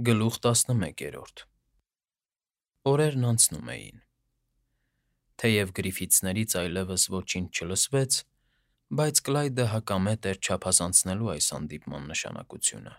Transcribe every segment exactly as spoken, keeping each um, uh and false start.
Գլուխ տասնմեկերորդ Օրերն անցնում էին։ Թեև Գրիֆիթսներից այլևս ոչինչ չլսվեց, բայց Կլայդը հակամետ էր չափազանցնելու այս հանդիպման նշանակությունը,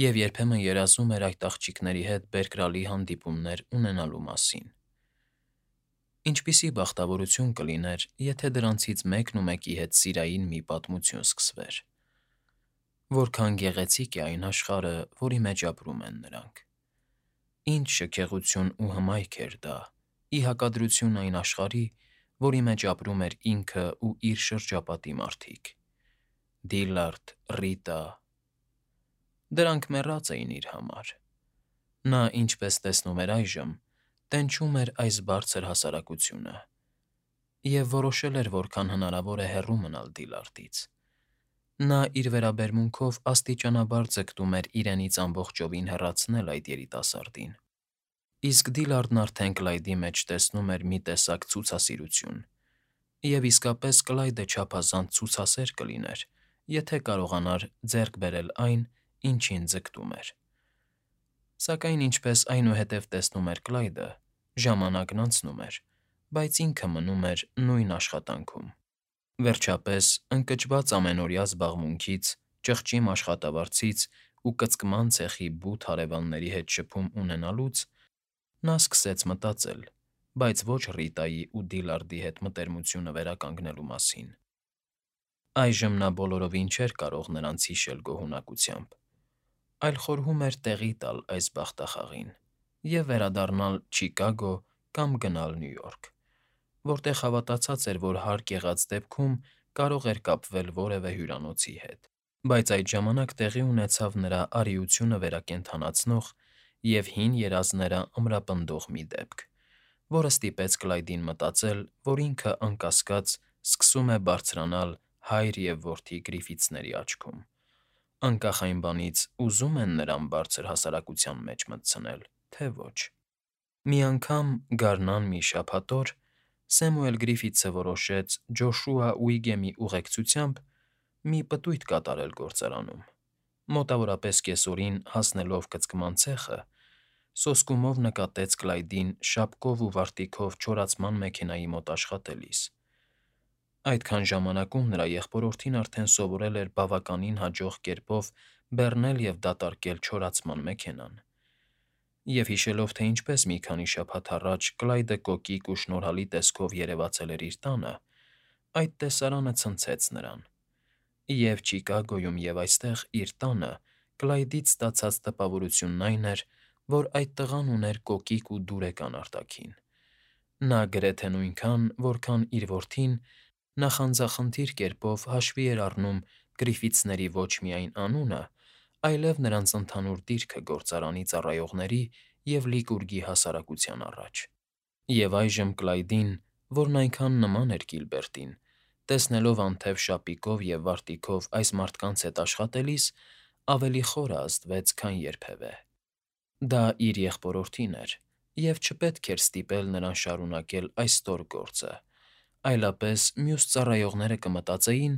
և երբեմն երազում էր այդ աղջիկների հետ բերկրալի հանդիպումներ ունենալու մասին։ Ինչպիսի բախտավորություն կլիներ, եթե դրանցից մեկն ու մեկի հետ սիրային մի պատմություն սկսվեր։ Որքան գեղեցիկ է այն աշխարհը, որի մեջ ապրում են նրանք։ Ինչ շքեղություն ու հմայք էր դա, ի հակադրություն այն աշխարհի, որի մեջ ապրում էր ինքը ու իր շրջապատի մարդիկ՝ Դիլլարդ, Ռիտա… Դրանք մեռած էին իր համար։ Նա, ինչպես տեսնում էր այժմ, տենչում էր այս բարձր հասարակությունը և որոշել էր որքան հնարավոր է հեռու մնալ Դիլլարդից։ Նա իր վերաբերմունքով աստիճանաբար ձգտում էր իրենից ամբողջովին հեռացնել այդ երիտասարդին, իսկ Դիլլարդն արդեն Կլայդի մեջ տեսնում էր մի տեսակ ցուցասիրություն, և իսկապես Կլայդը չափազանց ցուցասեր կլիներ, եթե կարողանար ձեռք բերել այն, ինչին ձգտում էր։ Սակայն ինչպես այնուհետև տեսնում էր Կլայդը, ժամանակն անցնում էր, բայց ինքը մնում էր նույն աշխատանքում։ Վերջապես, ընկճված ամենօրյա զբաղմունքից, ճղճի աշխատավարձից ու կծկման ցեխի բութ հարևանների հետ շփում ունենալուց, նա սկսեց մտածել, բայց ոչ Ռիտայի ու Դիլլարդի հետ մտերմությունը վերականգնելու մասին։ Այժմ նա բոլորովին չէր կարող նրանց հիշել գոհունակությամբ, այլ խորհում էր տեղի տալ այս բախտախաղին և վերադառնալ Չիկագո կամ գնալ Նյու Յորք, որտեղ հավատացած էր, որ հարկ եղած դեպքում կարող էր կապվել որևէ հյուրանոցի հետ։ Բայց այդ ժամանակ տեղի ունեցավ նրա արիությունը վերակենդանացնող և հին երազները ամրապնդող մի դեպք, որը ստիպեց Կլայդին մտածել, որ ինքը, անկասկած, սկսում է բարձրանալ հայր և որդի Գրիֆիթսների աչքում, անկախ այն բանից՝ ուզում են նրան բարձր հասարակության մեջ մտցնել, թե ոչ։ Մի անգամ, գարնան մի շաբաթ օր, Սեմուել Գրիֆիթսը որոշեց Ջոշուա Ուիգեմի ուղեկցությամբ մի պտույտ կատարել գործարանում։ Մոտավորապես կեսօրին, հասնելով կծկման ցեխը, սոսկումով նկատեց Կլայդին շապկով ու վարտիքով չորացման մեքենայի մոտ աշխատելիս։ Այդքան ժամանակում նրա եղբորորդին արդեն սովորել էր բավականին հաջող կերպով բեռնել և դատարկել չորացման մեքենան, և հիշելով, թե ինչպես մի քանի շաբաթ առաջ Կլայդը կոկիկ ու շնորհալի տեսքով երևացել էր իր տանը, այդ տեսարանը ցնցեց նրան, և Չիկագոյում և այստեղ, իր տանը, Կլայդից ստացած տպավորությունն այն էր, որ այդ տղան ուներ կոկիկ ու դուրեկան արտաքին։ Նա գրեթե նույնքան, որքան իր որդին, նախանձախնդիր կերպով հաշվի էր առնում Գրիֆիթսների ոչ միայն անունը, այլև նրանց ընդհանուր դիրքը գործարանի ծառայողների և Լիկուրգի հասարակության առաջ։ Եվ այժմ Կլայդին, որն այնքան նման էր Կիլբերտին, տեսնելով անթև շապիկով և վարտիքով այս մարդկանց հետ աշխատելիս, ավելի խորը ազդվեց, քան երբևէ։ Դա իր եղբորորդին էր, և չպետք էր ստիպել նրան շարունակել այս ստոր գործը, այլապես մյուս ծառայողները կմտածեին,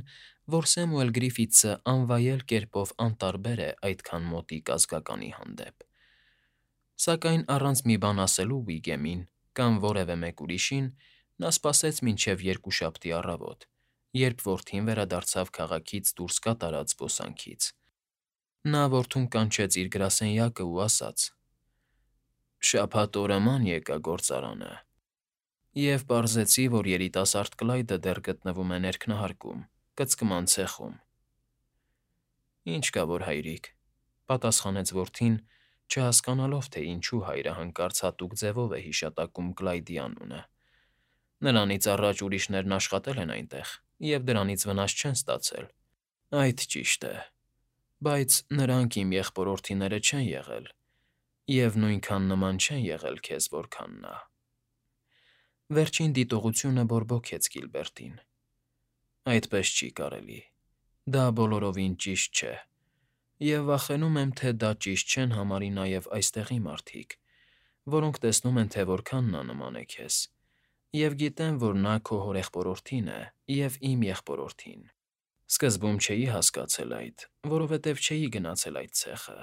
որ Սեմուել Գրիֆիթսը անվայել կերպով անտարբեր է այդքան մոտիկ ազգականի հանդեպ։ Սակայն առանց մի բան ասելու Ուիգեմին կամ որևէ մեկ ուրիշին, նա սպասեց մինչև երկուշաբթի առավոտ, երբ որդին վերադարձավ քաղաքից դուրս կատարած զբոսանքից։ Նա որդուն կանչեց իր գրասենյակն ու ասաց. «Շաբաթ օրը ման եկա գործարանը և պարզեցի, որ երիտասարդ Կլայդը դեռ գտնվում է ներքնահարկում, կծկման ցեխում»։ «Ինչ կա որ, հայրիկ,֊ պատասխանեց որդին, չհասկանալով, թե ինչու հայրը հանկարծ հատուկ ձևով է հիշատակում Կլայդի անունը։ Նրանից առաջ ուրիշներն աշխատել են այնտեղ և դրանից վնաս չեն ստացել։ Այդ ճիշտ է, բայց նրանք իմ եղբորորդիները չեն եղել և նույնքան նման չեն եղել քեզ, որքան նա»։ Վերջին դիտողությունը բորբոքեց Կիլբերտին։ «Այդպես չի կարելի, դա բոլորովին ճիշտ չէ, և վախենում եմ, թե դա ճիշտ չեն համարի նաև այստեղի մարդիկ, որոնք տեսնում են, թե որքան նա նման է քեզ, և գիտեն, որ նա քո հորեղբորորդին է և իմ եղբորորդին։ Սկզբում չէի հասկացել այդ, որովհետև չէի գնացել այդ ցեխը,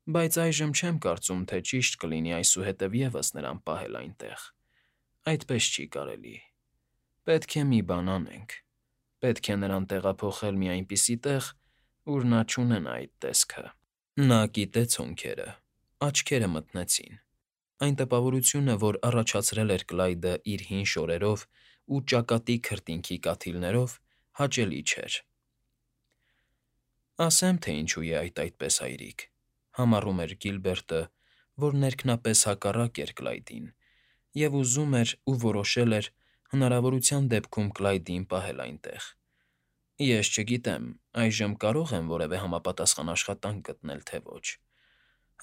Բայց այժմ չեմ կարծում, թե ճիշտ կլինի այսուհետև ևս նրան պահել այնտեղ. այդպես չի կարելի։ Պետք է մի բան անենք. պետք է նրան տեղափոխել մի այնպիսի տեղ, ուր նա չունենա այդ տեսքը։ Նա կիտեց հոնքերը, աչքերը մթնեցին։ Այն տպավորությունը, որ առաջացրել էր Կլայդը իր հին շորերով ու ճակատի քրտինքի կաթիլներով, հաճելի չէր։ Ասեմ, թե ինչու է այդ այդպես, հայրիկ, համառում էր Գիլբերտը, որ ներքնապես հակառակ էր Կլայդին, և ուզում էր ու որոշել էր հնարավորության դեպքում Կլայդին պահել այնտեղ։ Ես չգիտեմ, այժմ կարո՞ղ եմ որևէ համապատասխան աշխատանք գտնել, թե ոչ։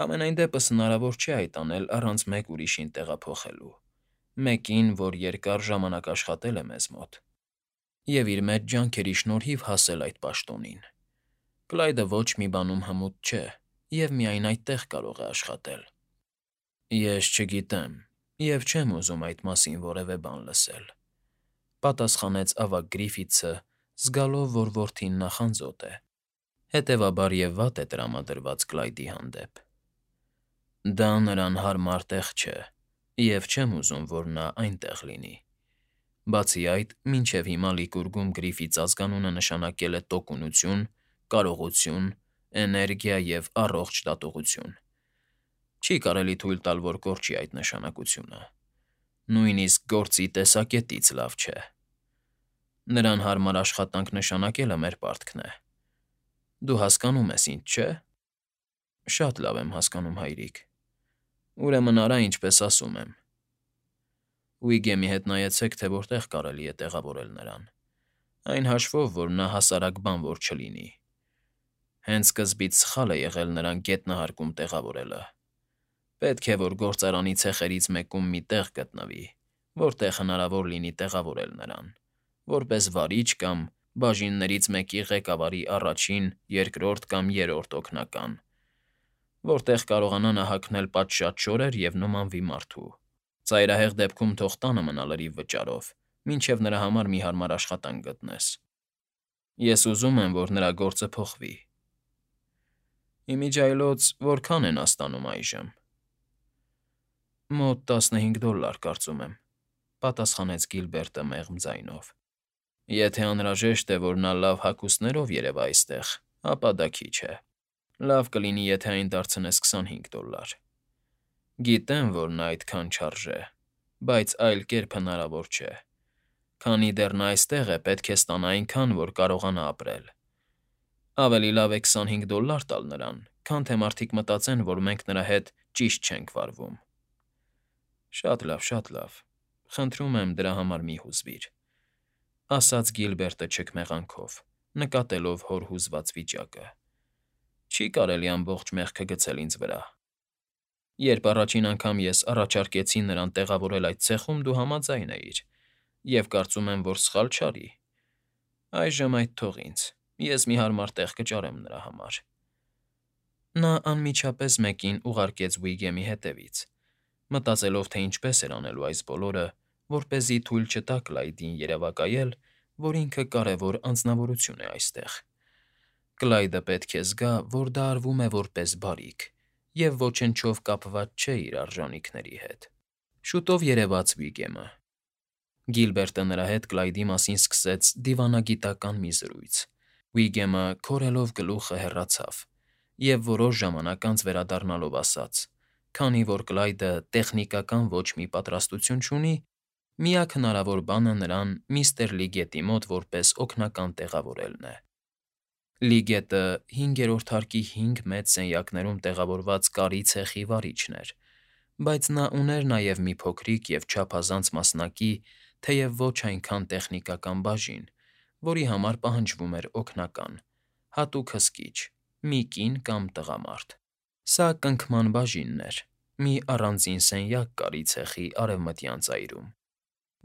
Համենայն դեպս հնարավոր չէ այդ անել առանց մեկ ուրիշին տեղափոխելու, մեկին, որ երկար ժամանակ աշխատել է մեզ մոտ, և իր մեծ ջանքերի շնորհիվ հասել այդ պաշտոնին։ Կլայդը ոչ մի բանում հմուտ չէ և միայն այդտեղ կարող է աշխատել։ Ես չգիտեմ և չեմ ուզում այդ մասին որևէ բան լսել,֊ պատասխանեց ավագ Գրիֆիթսը, զգալով, որ որդին նախանձոտ է, հետևաբար և վատ է տրամադրված Կլայդի հանդեպ։ Դա նրան հարմար տեղ չէ, և չեմ ուզում, որ նա այնտեղ լինի։ Բացի այդ, մինչև հիմա Լիկուրգում Գրիֆիթս ազգանունը նշանակել է տոկունություն, կարողություն, էներգիա և առողջ դատողություն։ Չի կարելի թույլ տալ, որ կորչի այդ նշանակությունը։ Նույնիսկ գործի տեսակետից լավ չէ։ Նրան հարմար աշխատանք նշանակելը մեր պարտքն է։ Դու հասկանում ես ինձ, չէ՞։ Շատ լավ եմ հասկանում, հայրիկ։ Ուրեմն արա, ինչպես ասում եմ։ Ուիգեմի հետ նայեցեք, թե որտեղ կարելի է տեղավորել նրան, այն հաշվով, որ նա հասարակ բան որ չլինի։ Հենց սկզբից սխալ է եղել նրան գետնահարկում տեղավորելը։ Պետք է, որ գործարանի ցեխերից մեկում մի տեղ գտնվի, որտեղ հնարավոր լինի տեղավորել նրան, որպես վարիչ կամ բաժիններից մեկի ղեկավարի առաջին, երկրորդ կամ երրորդ օգնական, որտեղ կարողանա նա հագնել պատշաճ շորեր և նմանվի մարդու։ Ծայրահեղ դեպքում թող տանը մնա լրիվ վճարով, մինչև նրա համար մի հարմար աշխատանք գտնես։ Ես ուզում եմ, որ նրա գործը փոխվի։ Իմիջիայլոց որքա՞ն են նա ստանում այժմ։ Մոտ տասնհինգ դոլլար, կարծում եմ,֊ պատասխանեց Գիլբերտը մեղմ ձայնով։ Եթե անհրաժեշտ է, որ նա լավ հագուստներով երևա այստեղ, ապա դա քիչ է։ Լավ կլինի, եթե այն դարձնես քսանհինգ դոլլար։ Գիտեմ, որ նա այդքան չարժե, բայց այլ կերպ հնարավոր չէ։ Քանի դեռ նա այստեղ է, պետք է ստանա այնքան, որ կարողանա ապրել։ Ավելի լավ է քսանհինգ դոլլար տալ նրան, քան թե մարդիկ մտածեն, որ մենք նրա հետ ճիշտ չենք վարվում։ Շատ լավ, շատ լավ, խնդրում եմ, դրա համար մի հուզվիր,֊ ասաց Գիլբերտը չքմեղանքով, նկատելով հոր հուզված վիճակը։ Չի կարելի ամբողջ մեղքը գցել ինձ վրա։ Երբ առաջին անգամ ես առաջարկեցի նրան տեղավորել այդ ցեխում, դու համաձայն էիր, և կարծում եմ, որ սխալ չարի։ Այժմ այդ թող ինձ, ես մի հարմար տեղ կճարեմ նրա համար։ Նա անմիջապես մեկին ուղարկեց Ուիգեմի հետևից, մտածելով, թե ինչպես էր անելու այս բոլորը, որպեսզի թույլ չտա Կլայդին երևակայել, որ ինքը կարևոր անձնավորություն է այստեղ։ Կլայդը պետք է զգա, որ դա արվում է որպես բարիք և ոչնչով կապված չէ իր արժանիքների հետ։ Շուտով երևաց Ուիգեմը։ Գիլբերտը նրա հետ Կլայդի մասին սկսեց դիվանագիտական մի զրույց։ Ուիգեմը, քորելով գլուխը, հեռացավ և որոշ ժամանակ անց վերադառնալով ասաց. «Քանի որ Կլայդը տեխնիկական ոչ մի պատրաստություն չունի, միակ հնարավոր բանը նրան միստր Լիգետի մոտ որպես օգնական տեղավորելն է»։ Լիգետը հինգերորդ հարկի հինգ մեծ սենյակներում տեղավորված կարի ցեխի վարիչն էր, բայց նա ուներ նաև մի փոքրիկ և չափազանց մասնակի, թեև ոչ այնքան տեխնիկական բաժին, որի համար պահանջվում էր օգնական, հատուկ հսկիչ, մի կին կամ տղամարդ։ Սա կնքման բաժինն էր, մի առանձին սենյակ կարի ցեխի արևմտյան ծայրում,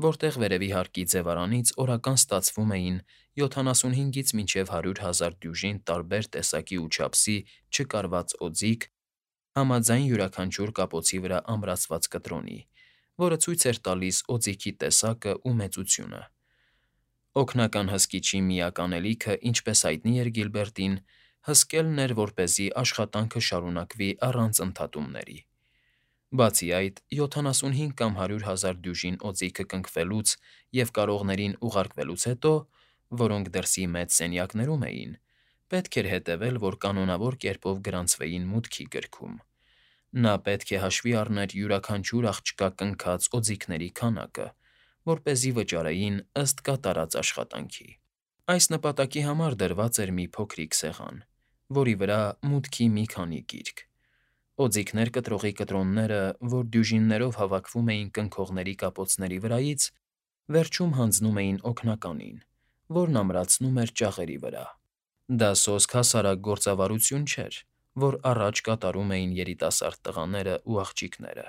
որտեղ վերևի հարկի ձևարանից օրական ստացվում էին յոթանասունհինգից մինչև հարյուր հազար դյուժին տարբեր տեսակի ու չափսի չկարված օձիք, համաձայն յուրաքանչյուր կապոցի վրա ամրացված կտրոնի, որը ցույց էր տալիս օձիքի տեսակն ու մեծությունը։ Օգնական հսկիչի միակ անելիքը, ինչպես հայտնի էր Գիլբերտին, հսկելն էր, որպեսզի աշխատանքը շարունակվի առանց ընդհատումների։ Բացի այդ, յոթանասունհինգ կամ հարյուր հազար դյուժին օձիքը կնքվելուց և կարողներին ուղարկվելուց հետո, որոնք դրսի մեծ սենյակներում էին, պետք էր հետևել, որ կանոնավոր կերպով գրանցվեին մուտքի գրքում։ Նա պետք է հաշվի առներ յուրաքանչյուր աղջկա կնքած օձիքների քանակը, որպեսզի վճարեին ըստ կատարած աշխատանքի։ Այս նպատակի համար դրված էր մի փոքրիկ սեղան, որի վրա մուտքի մի քանի գիրք։ Օձիքներ կտրողի կտրոնները, որ դյուժիններով հավաքվում էին կնքողների կապոցների վրայից, վերջում հանձնում էին օգնականին, որն ամրացնում էր ճաղերի վրա։ Դա սոսկ հասարակ գործավարություն չէր, որ առաջ կատարում էին երիտասարդ տղաներն ու աղջիկները,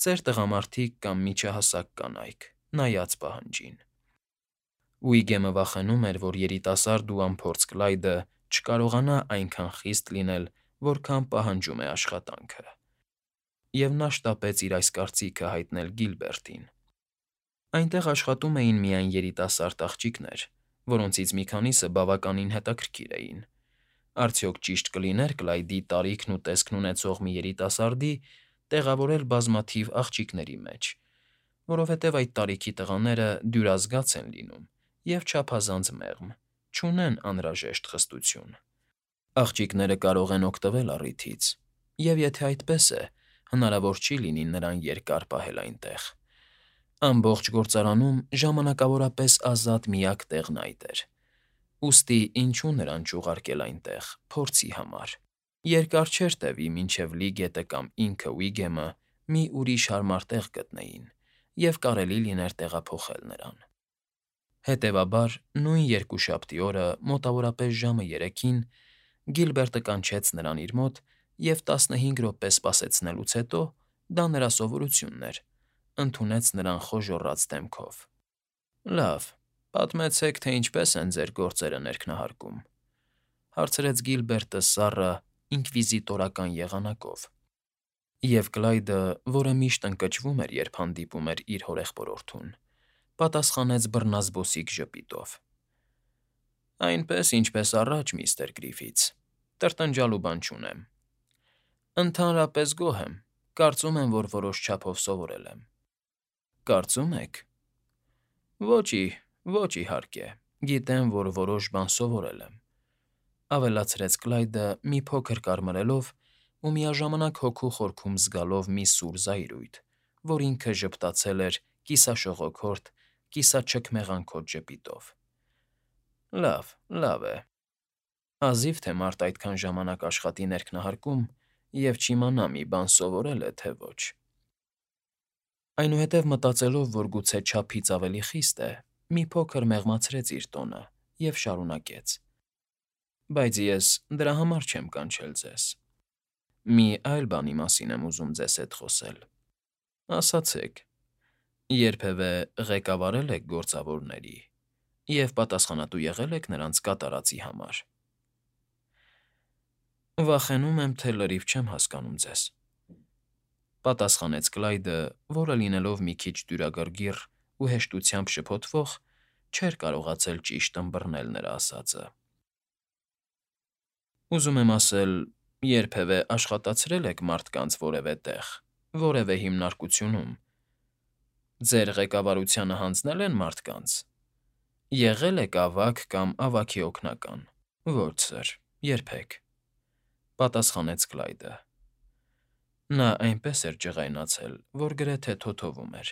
ծեր տղամարդիկ կամ միջահասակ կանայք, նայած պահանջին։ Ուիգեմը վախենում էր, որ երիտասարդ ու անփորձ Կլայդը չկարողանա այնքան խիստ լինել, որքան պահանջում է աշխատանքը, և նա շտապեց իր այս կարծիքը հայտնել Գիլբերտին։ Այնտեղ աշխատում էին միայն երիտասարդ աղջիկներ, որոնցից մի քանիսը բավականին հետաքրքիր էին։ Արդյոք ճիշտ կլիներ Կլայդի տարիքն ու տեսքն ունեցող մի երիտասարդի տեղավորել բազմաթիվ աղջիկների մեջ, որովհետև այդ տարիքի տղաները դյուրազգաց են լինում և չափազանց մեղմ, չունեն անհրաժեշտ խստություն։ Աղջիկները կարող են օգտվել առիթից, և եթե այդպես է, հնարավոր չի լինի նրան երկար պահել այնտեղ։ Ամբողջ գործարանում ժամանակավորապես ազատ միակ տեղն այդ էր։ Ուստի ինչու նրան չուղարկել այնտեղ, փորձի համար։ Երկար չէր տևի, մինչև Լի գետը կամ ինքը Ուիգեմը մի ուրիշ հարմար տեղ գտնեին, և կարելի լիներ տեղափոխել նրան։ Հետևաբար, նույն երկուշաբթի օրը մոտավորապես ժամը երեքին Գիլբերտը կանչեց նրան իր մոտ և, տասնհինգ րոպե սպասեցնելուց հետո (դա նրա սովորությունն էր), ընդունեց նրան խոժոռաց դեմքով։ ֊ Լավ, պատմեցեք, թե ինչպես են ձեր գործերը ներքնահարկում,֊ հարցրեց Գիլբերտը սառը, ինկվիզիտորական եղանակով, և Կլայդը, որը միշտ ընկճվում էր, երբ հանդիպում էր իր հորեղբորորդուն, պատասխանեց բռնազբոսիկ ժպիտով. Այնպես, ինչպես առաջ, միստր Գրիֆիթս, տրտնջալու բան չունեմ։ Ընդհանրապես գոհ եմ, կարծում եմ, որ որոշ չափով սովորել եմ։ Կարծում եք։ Ոչի, ոչ իհարկե, գիտեմ, որ որոշ բան սովորել եմ,֊ ավելացրեց Կլայդը մի փոքր կարմրելով ու միաժամանակ հոգու խորքում զգալով մի սուր զայրույթ, որ ինքը ժպտացել էր կիսաշողոքորթ, կիսաչքմեղանքոտ ժպիտով։ Լավ, լավ է։ Հազիվ թե մարդ այդքան ժամանակ աշխատի ներքնահարկում և չիմանա մի բան սովորել է, թե ոչ։ Այնուհետև մտածելով, որ գուցե չափից ավելի խիստ է, մի փոքր մեղմացրեց իր տոնը և շարունակեց. Բայց ես դրա համար չեմ կանչել ձեզ։ Մի այլ բանի մասին եմ ուզում ձեզ հետ խոսել։ Ասացեք, երբևէ ղեկավարե՞լ եք գործավորների և պատասխանատու եղե՞լ եք նրանց կատարածի համար։ Վախենում եմ, թե լրիվ չեմ հասկանում ձեզ,֊ պատասխանեց Կլայդը, որը, լինելով մի քիչ դյուրագրգիռ ու հեշտությամբ շփոթվող, չէր կարողացել ճիշտ ըմբռնել նրա ասածը։ Ուզում եմ ասել, երբևէ աշխատացրե՞լ եք մարդկանց որևէ տեղ, որևէ հիմնարկությունում։ Ձեր ղեկավարությանը հանձնե՞լ են մարդկանց։ Եղե՞լ եք ավագ կամ ավագի օգնական։ Ոչ, սըր, երբեք,֊ պատասխանեց Կլայդը։ Նա այնպես էր ջղայնացել, որ գրեթե թոթովում էր։